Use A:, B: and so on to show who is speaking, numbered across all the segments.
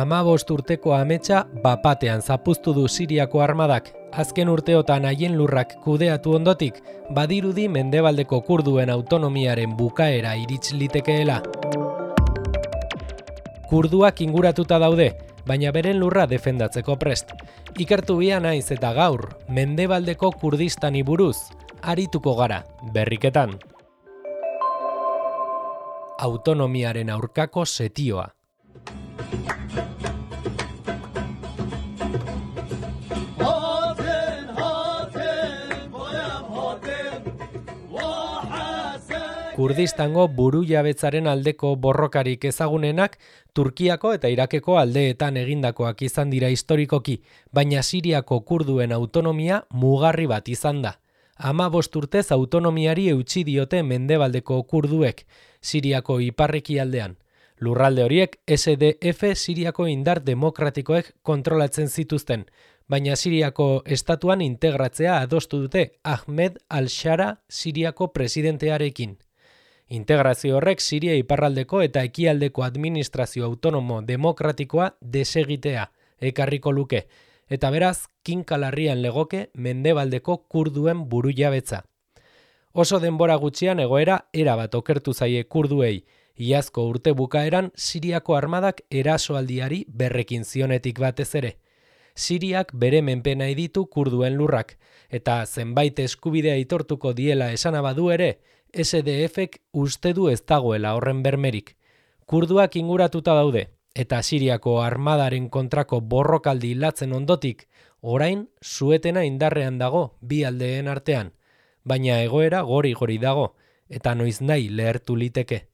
A: 15 urteko ametsa bapatean zapuztu du Siriako armadak. Azken urteotan haien lurrak kudeatu ondotik, badirudi mendebaldeko kurduen autonomiaren bukaera irits litekeela. Kurduak inguratuta daude, baina beren lurra defendatzeko prest. Ikertu bia naiz eta gaur, mendebaldeko Kurdistani buruz, arituko gara, berriketan. Autonomiaren aurkako setioa. Kurdistango burujabetzaren aldeko borrokarik ezagunenak Turkiako eta Irakeko aldeetan egindakoak izan dira historikoki, baina Siriako kurduen autonomia mugarri bat izan da. 15 urtez autonomiari eutsi diote mendebaldeko kurduek, Siriako iparrekialdean. Lurralde horiek SDF Siriako indar demokratikoek kontrolatzen zituzten, baina Siriako estatuan integratzea adostu dute Ahmed al-Shara Siriako presidentearekin. Integrazio horrek Siria iparraldeko eta ekialdeko administrazio autonomo demokratikoa desegitea ekarriko luke, eta beraz kinkalarrian legoke mendebaldeko kurduen burujabetza. Oso denbora gutxian egoera erabat okertu zaie kurduei, iazko urte bukaeran Siriako armadak erasoaldiari berrekin zionetik batez ere. Siriak bere menpena ditu kurduen lurrak, eta zenbait eskubidea aitortuko diela esana badu ere, SDFek uste du ez dagoela horren bermerik. Kurduak inguratuta daude, eta Siriako armadaren kontrako borrokaldi hilatzen ondotik, orain suetena indarrean dago bi aldeen artean, baina egoera gori-gori dago, eta noiz nahi lehertu liteke.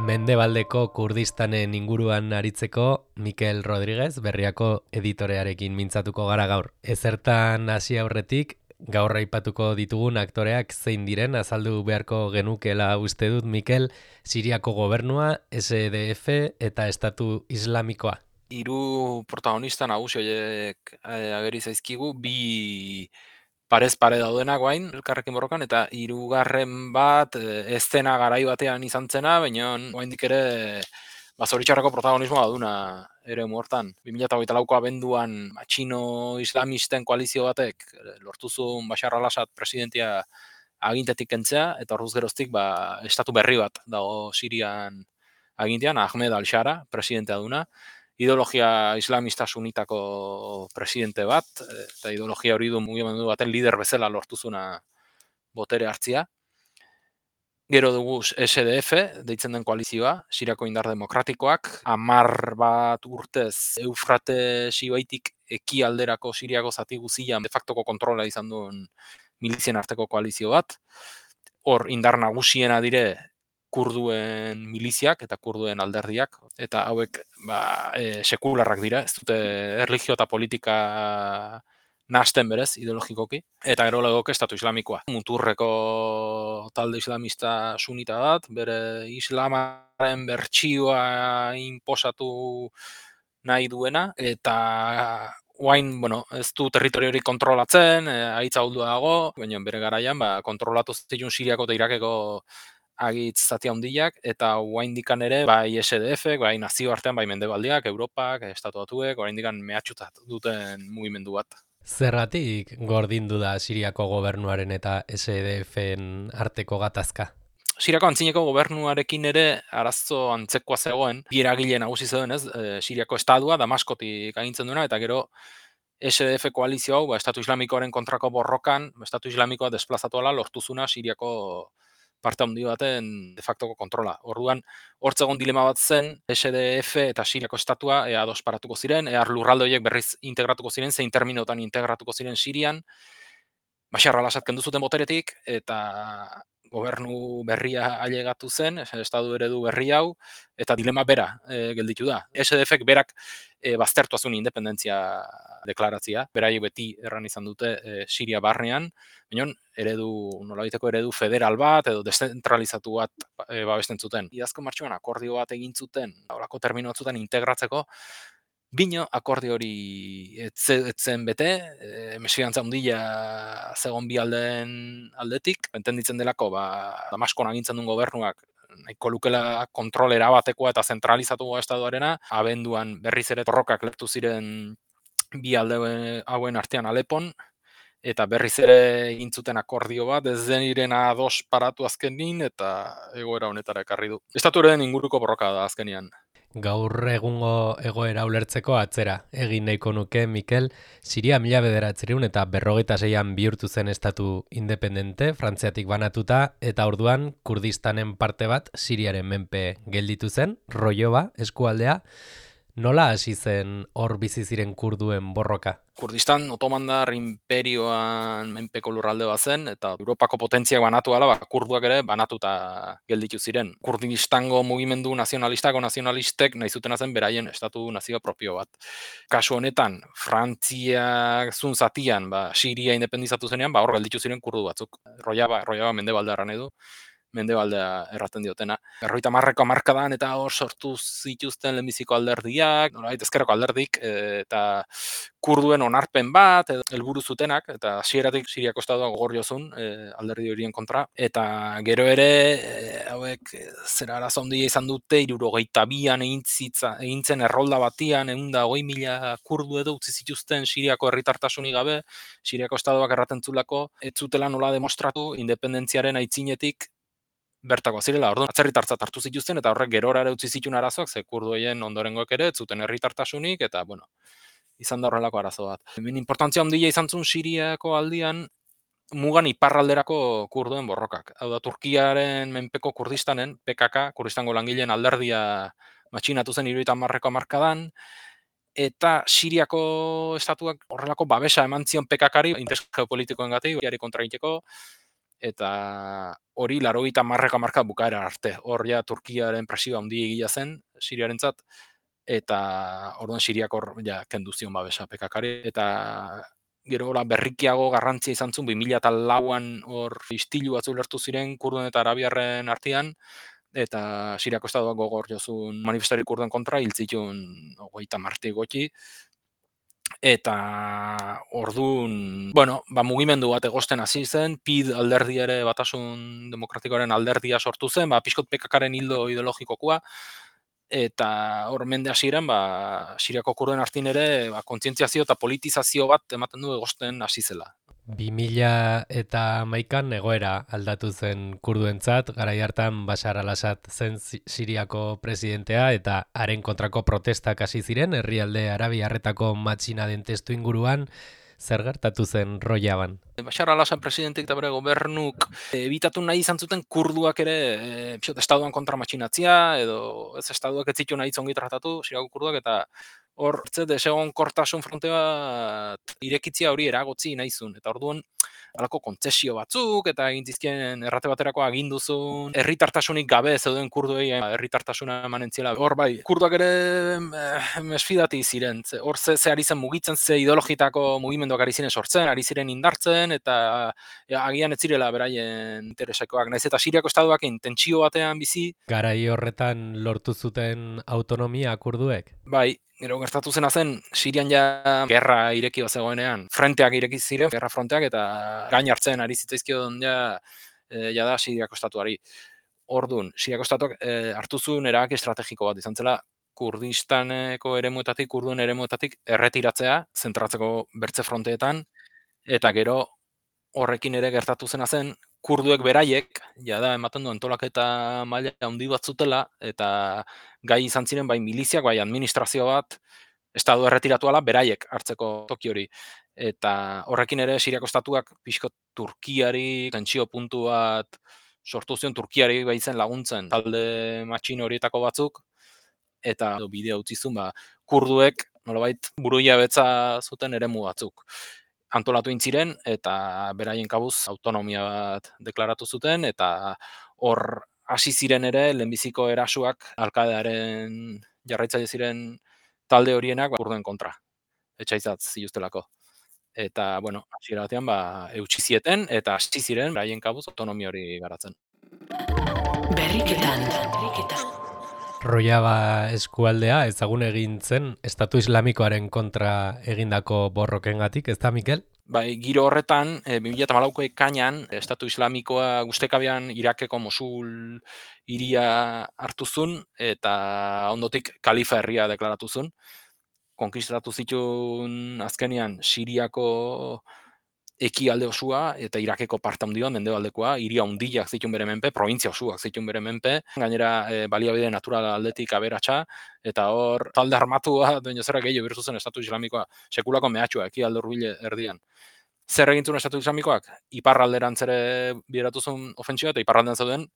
A: Mendebaldeko Kurdistanen inguruan aritzeko Mikel Rodríguez Berriako editorearekin mintzatuko gara gaur. Ezertan hasi aurretik, gaur aipatuko ditugun aktoreak zein diren azaldu beharko genukela uste dut Mikel, Siriako gobernua, SDF eta Estatu Islamikoa.
B: Hiru protagonista nagusi horiek ageri zaizkigu, bi parez pare daudenak guain, elkarrekin borrokan, eta hirugarren bat eszena garai batean izan zena, baina oraindik ere zoritxarreko protagonismoa baduna ere hortan. 2024ko abenduan txino islamisten koalizio batek lortu zuen Bashar al-Assad presidentia agintetik kentzea, eta orduz geroztik estatu berri bat dago Sirian agintean, Ahmed al-Shara presidentea duna. Ideologia islamista sunitako presidente bat, eta ideologia hori du mugimendu baten lider bezala lortu zuna botere hartzia. Gero dugu SDF, deitzen den koalizioa, Siriako indar demokratikoak, 10 bat urtez Eufrate ibaitik ekialderako Siriako zati guzian de factoko kontrola izan duen milizien arteko koalizio bat. Hor indar nagusiena dire kurduen miliziak eta kurduen alderdiak, eta hauek sekularrak dira, ez dute erlijio eta politika nahasten berez, ideologikoki, eta gero legoke Estatu Islamikoa. Muturreko talde islamista sunita bat, bere islamaren bertsioa inposatu nahi duena, eta oain, ez du territorio hori kontrolatzen, haitza huldua dago, baina bere garaian kontrolatu zituen Siriako eta Irakeko agitz zati handiak, eta oraindikan ere bai SDF, bai nazioartean, bai mendebaldiak, Europak, Estatu Batuek, oraindikan mehatxutat duten mugimendu bat.
A: Zergatik gordindu da Siriako gobernuaren eta SDFen arteko gatazka?
B: Siriako antzineko gobernuarekin ere arazo antzekoa zegoen, bi eragile nagusi zeuden, Siriako estatua Damaskotik agintzen duena, eta gero SDF koalizio hau, Estatu Islamikoaren kontrako borrokan, Estatu Islamikoa desplazatuala lortuzuna Siriako parte handi baten de factoko kontrola. Orduan, hortzegon dilema bat zen, SDF eta Siriako estatua ados paratuko ziren, lurralde horiek berriz integratuko ziren, zein terminotan integratuko ziren Sirian, Bashar al-Assad kendu zuten boteretik, eta gobernu berria ailegatu zen, estatu eredu berri hau, eta dilema bera gelditu da. SDFek berak baztertu zuen independentzia deklaratzia, beraiek beti erran izan dute Siria barnean, baina nolabaiteko eredu federal bat edo deszentralizatu bat babesten zuten. Iazko martxoan akordio bat egin zuten, horako termino batzutan integratzeko, Bino, akordio hori etzen bete, mesfidantza handia zegon bi aldeen aldetik, entenditzen delako, Damaskon agintzen duen gobernuak nahiko lukela kontrolera batekoa eta zentralizatu estatuarena, abenduan berriz ere borrokak lehertu ziren bi alde hauen artean Alepon, eta berriz ere egin zuten akordio bat, ez den irena ados paratu azkenin, eta egoera honetara ekarri du. Estatuaren inguruko borroka da azkenian.
A: Gaur egungo egoera ulertzeko atzera egin nahiko nuke, Mikel, Siria 1900 eta 56an bihurtu zen estatu independente, Frantziatik banatuta, eta orduan Kurdistanen parte bat Siriaren menpe gelditu zen, Rojava eskualdea. Nola hasi zen hor bizi ziren kurduen borroka?
B: Kurdistan otomandar imperioan menpeko lurralde bat zen, eta Europako potentziak banatu ala, kurduak ere banatuta gelditu ziren. Kurdistango mugimendu nazionalistek nahi zutena zen beraien estatu nazio propio bat. Kasu honetan, Frantziak zun zatian, Siria independizatu zenean, hor gelditu ziren kurdu batzuk. Rojava mendebaldean edu, mendebaldea erraten diotena. 50ko hamarkadan eta hor sortu zituzten lehenbiziko alderdiak, nolabait ezkerreko alderdik, eta kurduen onarpen bat, helburu zutenak, eta hasieratik Siriako estatua gogor jozun alderdi horien kontra, eta gero ere hauek zera arazo handia izan dute, 72an egin zen errolda batian, 120.000 kurdu edo utzi zituzten Siriako herritartasunik gabe, Siriako estatuak erraten zulako, ez zutela nola demostratu independentziaren aitzinetik bertako zirela, orduan atzerritartzat hartu zituzten, eta horrek gerora ere utzi zituen arazoak, ze kurdueien ondorengoek ere, ez zuten herritartasunik, eta, izan da horrelako arazo bat. Hemen importantzia handia izan zuen Siriako aldian, mugan iparralderako kurduen borrokak. Hau da, Turkiaren menpeko Kurdistanen, PKK, Kurdistango langileen alderdia matxinatu zen 70ko hamarkadan, eta Siriako estatuak horrelako babesa eman zion PKKari, interes geopolitikoengatik, hori kontra egiteko, eta hori 80ko hamarkada bukaera arte. Hor ja Turkiaren presioa handia egia zen Siriarentzat, eta orduan Siriak hor kendu zion babesa PKKari, eta gero berrikiago garrantzia izan zuen 2004an hor istilu batzu lertu ziren kurduen eta arabiarren artean, eta Siriako estatuak gogor jozun manifestari kurduen kontra hil zituen 30 gutxi, eta orduan, mugimendu bat egosten hasi zen, PID alderdi ere Batasun Demokratikoaren alderdia sortu zen, pixkot PKKaren hildo ideologikokoa, eta hor mende hasieran, Siriako kurduen artin ere, kontzientziazio eta politizazio bat ematen du egosten hasi zela.
A: 2011an egoera aldatu zen kurduentzat, garai hartan Bashar al-Assad zen Siriako presidentea eta haren kontrako protestak hasi ziren herrialde arabiarretako matxina den testu inguruan. Zer gertatu zen Rojavan?
B: Bashar al-Assad presidentek eta bere gobernuk ebitatu nahi izan zuten kurduak ere estatuan kontra matxinatzia, edo ez estatuak ez zitu nahi zongi tratatu, Siriako kurduak, eta hor, desegon kortasun fronte bat irekitzia hori eragotzi nahi zuen. Eta orduan, halako kontzesio batzuk, eta egin zizkien errate baterako aginduzun, herritartasunik gabe zeuden kurduei herritartasuna emanen ziela. Hor kurduak ere mesfidati ziren. Hor ze ari zen mugitzen, ze ideologitako mugimenduak ari ziren sortzen, ari ziren indartzen, eta agian ez zirela beraien interesekoak. Naiz eta Siriako estatuak intentsio batean bizi.
A: Garai horretan lortu zuten autonomia kurduek?
B: Bai, gero gertatu zena zen, Sirian gerra ireki bat zegoenean, frenteak ireki ziren, gerra fronteak, eta gain hartzen ari zitzaizkion da Siriako estatuari. Orduan, Siriako estatuak hartu zuen erabaki estrategiko bat izan zela, Kurdistaneko eremuetatik, kurduen eremuetatik erretiratzea, zentratzeko bertze fronteetan, eta gero horrekin ere gertatu zena zen, kurduek beraiek, ematen du antolaketa maila handi bat zutela, eta gai izan ziren bai miliziak, bai administrazio bat, estatu erretiratu ala, beraiek hartzeko toki hori. Eta horrekin ere Siriako estatuak pixko Turkiari, tentsio puntu bat sortu zion, Turkiari baitzen laguntzen talde matxin horietako batzuk, eta bidea utzi zuen, kurduek nolabait burujabetza zuten eremu batzuk antolatu intziren, eta beraien kabuz autonomia bat deklaratu zuten, eta hor hasi ziren ere lehenbiziko erasuak Al-Qaedaren jarraitzaile ziren talde horienak kurduen kontra. Etxaitzat zituztelako. Eta, hasiera batean eutsi zieten, eta hasi ziren beraien kabuz autonomia hori garatzen.
A: Berriketan. Rojava eskualdea ezagun egin zen Estatu Islamikoaren kontra egindako borrokengatik, ez da, Mikel?
B: Bai, giro horretan, 2014ko ekainan, Estatu Islamikoa guztekabean Irakeko Mosul hiria hartu zuen, eta ondotik Kalifa herria deklaratu zuen. Konkistatu zituen azkenean Siriako ekialde osua eta Irakeko parte handia mendebaldekoa, hiria handiak zituen bere menpe, provintzia osuak zituen bere menpe, gainera baliabide natural aldetik aberatsa, eta hor talde armatua duen jozera gehiago birtu zen Estatu Islamikoa, sekulako mehatxua ekialde hurbile erdian. Zer egin zuen Estatu Islamikoak? Iparralderantz ere bideratu zuen ofentsioa, eta iparraldean zeuden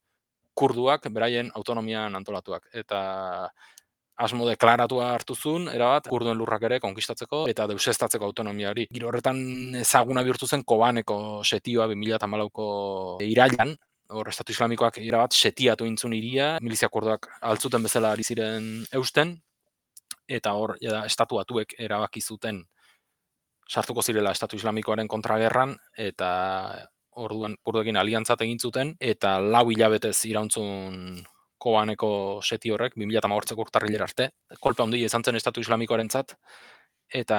B: kurduak beraien autonomian antolatuak. Eta asmo deklaratua hartu zuen, erabat, kurduen lurrak ere konkistatzeko eta deusestatzeko autonomiari. Giro horretan ezaguna bihurtu zen Kobaneko setioa 2014ko irailan, hor Estatu Islamikoak erabat setiatu intzun iria, milizia kurduak altzuten bezala ari ziren eusten, eta hor Estatu Batuek erabaki zuten sartuko zirela Estatu Islamikoaren kontragerran, eta orduan kurduekin aliantzat egin zuten, eta 4 hilabetez irauntzun Kobaneko seti horrek, 2015ko urtarrilera arte, kolpe handia izan zen Estatu Islamikoarentzat, eta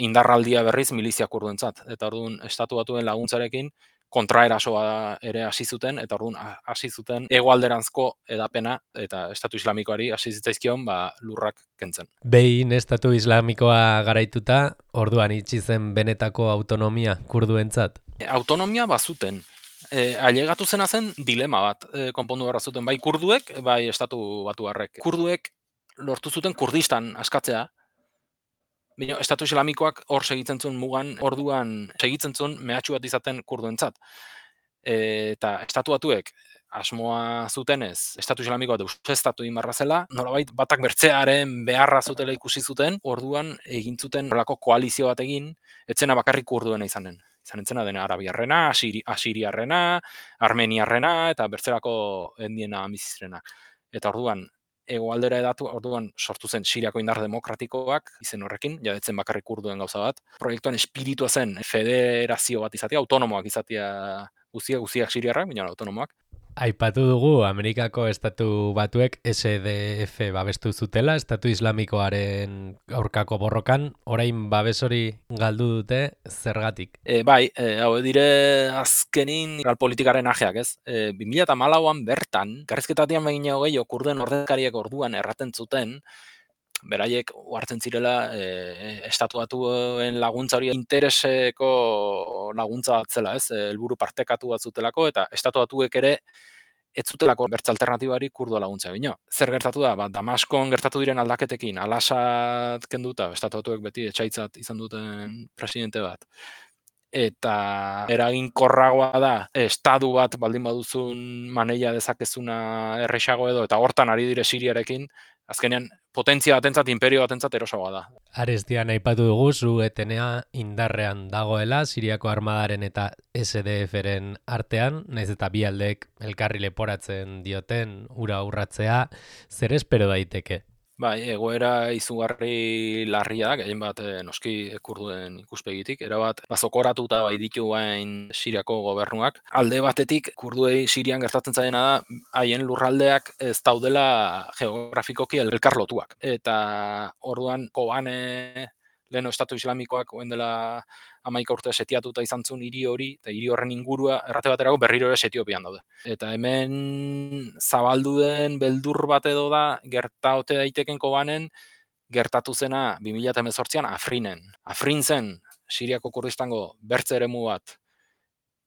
B: indarraldia berriz milizia kurduentzat. Eta orduan Estatu Batuen laguntzarekin kontraerasoa ere hasi zuten, eta orduan hasi zuten hegoalderanzko hedapena, eta Estatu Islamikoari hasi zitzaizkion lurrak kentzen.
A: Behin Estatu Islamikoa garaituta, orduan itxi zen benetako autonomia kurduentzat.
B: Autonomia bazuten. Ailegatu zena zen dilema bat konpondu behar zuten, bai kurduek, bai Estatu Batuarrek. Kurduek lortu zuten Kurdistan askatzea, baina Estatu Islamikoak hor segitzen zuen mugan, orduan segitzen zuen mehatxu bat izaten kurduentzat. Eta Estatu Batuek asmoa zutenez, Estatu Islamikoa deusestatu inbarra zela, nolabait batak bertzearen beharra zutela ikusi zuten, orduan egin zuten horrelako koalizio bat egin, etzena bakarrik kurduena izanen. Izan entzena dena arabiarrena, asiriarrena, armeniarrena, eta bertzerako etniena amizizrena. Eta orduan, hegoaldera edatu, orduan sortu zen Siriako indar demokratikoak, izen horrekin, jadetzen bakarrik kurduen gauza bat. Proiektuan espiritua zen federazio bat izatea, autonomoak izatea guztiak siriarrak, baina autonomoak.
A: Aipatu dugu Amerikako Estatu Batuek SDF babestu zutela, Estatu Islamikoaren aurkako borrokan, orain babes hori galdu dute zergatik.
B: Bai, hau dire azkenin politikaren ajeak, ez? 2014an bertan, garrizketatian begin gehiago kurden ordezkariek orduan erraten zuten, beraiek hartzen zirela Estatu Batuen laguntza hori intereseko laguntza bat zela, ez? Helburu partekatu bat zutelako, eta Estatu Batuek ere ez zutelako bertze alternatibari kurdua laguntza bino. Zer gertatu da? Damaskon gertatu diren aldaketekin, Al-Assad kenduta, Estatu Batuek beti etxaitzat izan duten presidente bat. Eta eraginkorragoa da, estadu bat baldin baduzun maneia dezakezuna errexago edo, eta hortan ari dire Siriarekin, azkenean potentzia batentzat, imperio batentzat erosoagoa da.
A: Arestian aipatu dugu zu etenea indarrean dagoela Siriako armadaren eta SDF-ren artean, naiz eta bi aldeek elkarri leporatzen dioten ura urratzea, zer espero daiteke?
B: Bai, egoera izugarri larria da, gehien bat noski kurduen ikuspegitik, erabat bazokoratuta bai ditu bain Siriako gobernuak. Alde batetik, kurduei Sirian gertatzen zaidena da, haien lurraldeak ez daudela geografikoki elkarlotuak. Eta orduan Kobane leheno Estatu Islamikoak oen dela 11 urte setiatuta izan zuen hiri hori, eta hiri horren ingurua errate baterako berriro ere Etiopian daude. Eta hemen zabaldu den beldur bat edo da, gertaote daiteken Kobanen, gertatu zena 2018an Afrinen. Afrin zen Siriako Kurdistango bertze eremu bat,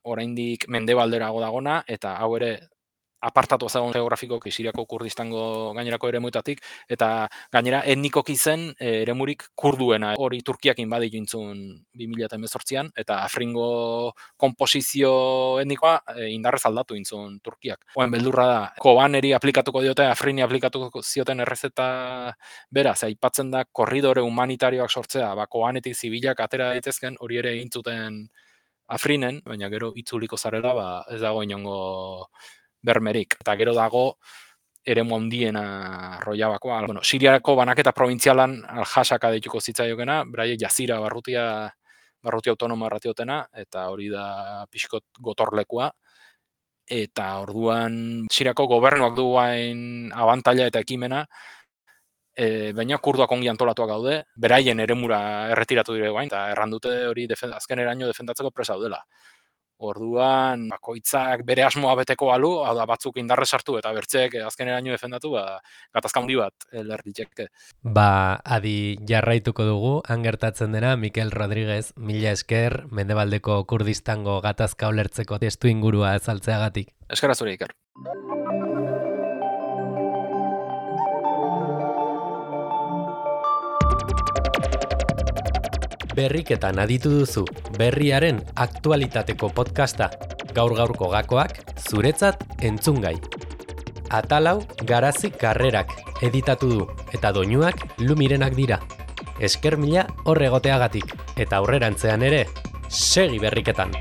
B: oraindik mendebalderago dagona, eta hau ere apartatu ezagun geografikoki Siriako Kurdistango gainerako eremuetatik, eta gainera etnikoki zen eremurik kurduena, hori Turkiakin baditu intzun 2018an, eta Afringo komposizio etnikoa indarrez aldatu intzun Turkiak. Oen beldurra da, Kobaneri aplikatuko diote, Afrini aplikatuko zioten errezeta bera, aipatzen da korridore humanitarioak sortzea, Kobanetik zibilak atera daitezken, hori ere egin zuten Afrinen, baina gero itzuliko zarela, ez dago inongo bermerik. Eta gero dago eremu handiena Rojabakoa. Bueno, Siriako banaketa provintzialan Al-Hasaka deituko zitzaiokena, beraiek Jazira barrutia autonomoa erratiotena, eta hori da pixkot gotorlekua. eta orduan Siriako gobernuak du hain abantaila eta ekimena, baina kurduak ongi antolatuak gaude, beraien eremura erretiratu dire guain, eta errandute hori azkeneraino defendatzeko presa daudela. Orduan, bakoitzak bere asmoa beteko balu, hau da batzuk indarre sartu eta bertzeek azkeneraino defendatu, gatazka handi bat lerditzeke.
A: Adi jarraituko dugu, han gertatzen dena, Mikel Rodriguez, mila esker, Mendebaldeko Kurdistango gatazka ulertzeko testu ingurua azaltzeagatik.
B: Eskerra zure, Iker.
A: Berriketan aditu duzu, berriaren aktualitateko podcasta, gaur-gaurko gakoak, zuretzat entzungai. Atalau Garazi Karrerak editatu du, eta doinuak Lumirenak dira. Esker mila hor egoteagatik, eta aurrerantzean ere, segi berriketan!